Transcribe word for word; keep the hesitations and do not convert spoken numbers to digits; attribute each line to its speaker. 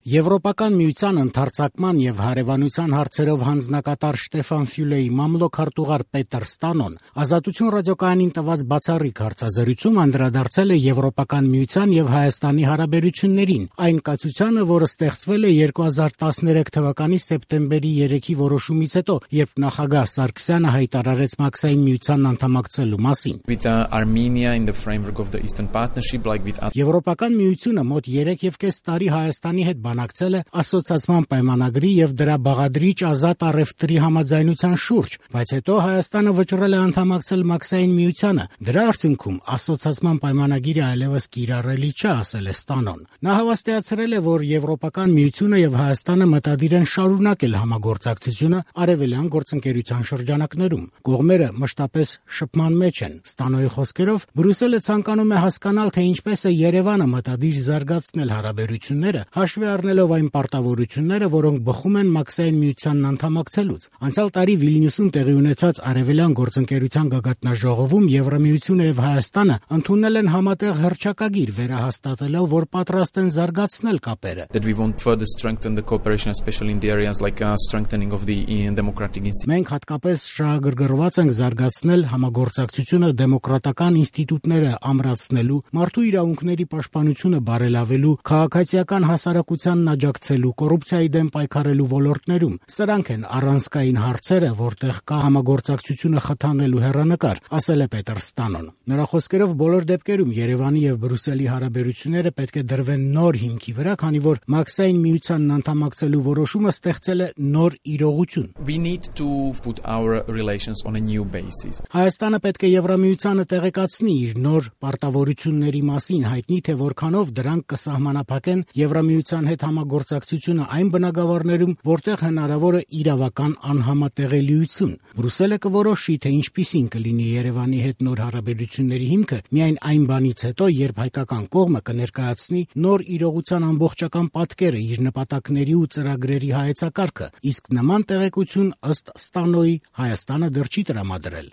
Speaker 1: Եվրոպական միության ընդարձակման եւ հարևանության հարցերով հանձնակատար Շտեֆան Ֆյուլեի մամլոք հարտուղար Պետր Ստանոն Ազատություն ռադիոկայանին տված բացառիկ հարցազրույցում անդրադարձել է Եվրոպական միության եւ Հայաստանի հարաբերություններին, այն կացությանը, որը ստեղծվել է երկու հազար տասներեք թվականի սեպտեմբերի երեքի որոշումից հետո, երբ նախագահ Սարգսյանը հայտարարեց Մաքսային միությանն անդամակցելու մասին։ Եվրոպական միությունը մոտ երեք եւ կես տարի Հայաստանի հետ բանակցել է ասոցիացման պայմանագրի եւ դրա բաղադրիչ ազատ առևտրի համաձայնության շուրջ, բայց հետո Հայաստանը վճռել է անդամակցել Մաքսային միությանը։ Դրա արդյունքում ասոցիացման պայմանագիրը այլևս կիրառելի չէ, ասել է Ստանոն։ Նա հավաստիացրել է, որ Եվրոպական միությունը եւ Հայաստանը մտադիր են շարունակել համագործակցությունը արևելյան գործընկերության շրջանակներում։ Կողմերը մշտապես շփման մեջ են։ Ստանոյի խոսքերով Բրյուսելը ցանկանում է հասկանալ, թե ինչպես է Երևանը մտադիր զարգացնել հարաբերությունները, հաշվի առնելով այն պարտավորությունները, որոնք բխում են Մաքսային միությանն անդամակցելուց։ Անցյալ տարի Վիլնյուսում տեղի ունեցած արևելյան գործընկերության գագաթնաժողովում Եվրամիությունը եւ Հայաստանը ընդունել են համատեղ հռչակագիր, վերահաստատելով, որ պատրաստ են զարգացնել կապերը։ Մենք հատկապես շահագրգռված ենք զարգացնել համագործակցությունը դեմոկրատական ինստիտուտները ամրացնելու, մարդու իրավունքների պաշտպանությունը բարելավելու, քաղաքացիական հասարակությանն աջակցելու, կոռուպցիայի դեմ պայքարելու ոլորտներում։ Սրանք են առանցքային հարցերը, որտեղ կա համագործակցությունը խթանելու հեռանկար, ասել է Պետր Ստանոն։ Նրա խոսքերով բոլոր դեպքերում Երևանի եւ Բրյուսելի հարաբերությունները պետք է դրվեն նոր հիմքի վրա, քանի որ Մաքսային միությանն անդամակցելու որոշումը ստեղծել է նոր իրողություն։ Հայաստանը պետք է Եվրամիությանը տեղեկացնի իր նոր պարտավորությունների մասին, հայտնի թե որքանով դրանք կսահմանափակեն Եվրամիության հետ համագործակցությունը այն բնագավառներում, որտեղ հնարավոր է իրավական անհամատեղելիություն։ Բրյուսելը կորոշի, թե ինչպիսին կլինի Երևանի հետ նոր հարաբերությունների հիմքը միայն այն բանից հետո, երբ հայկական կողմը կներկայացնի նոր իրողության ամբողջական պատկերը, իր նպատակների ու ծրագրերի հայեցակարգը, իսկ նման տեղեկություն ըստ Ստանոյի Հայաստանը դեռ չի տրամադրել։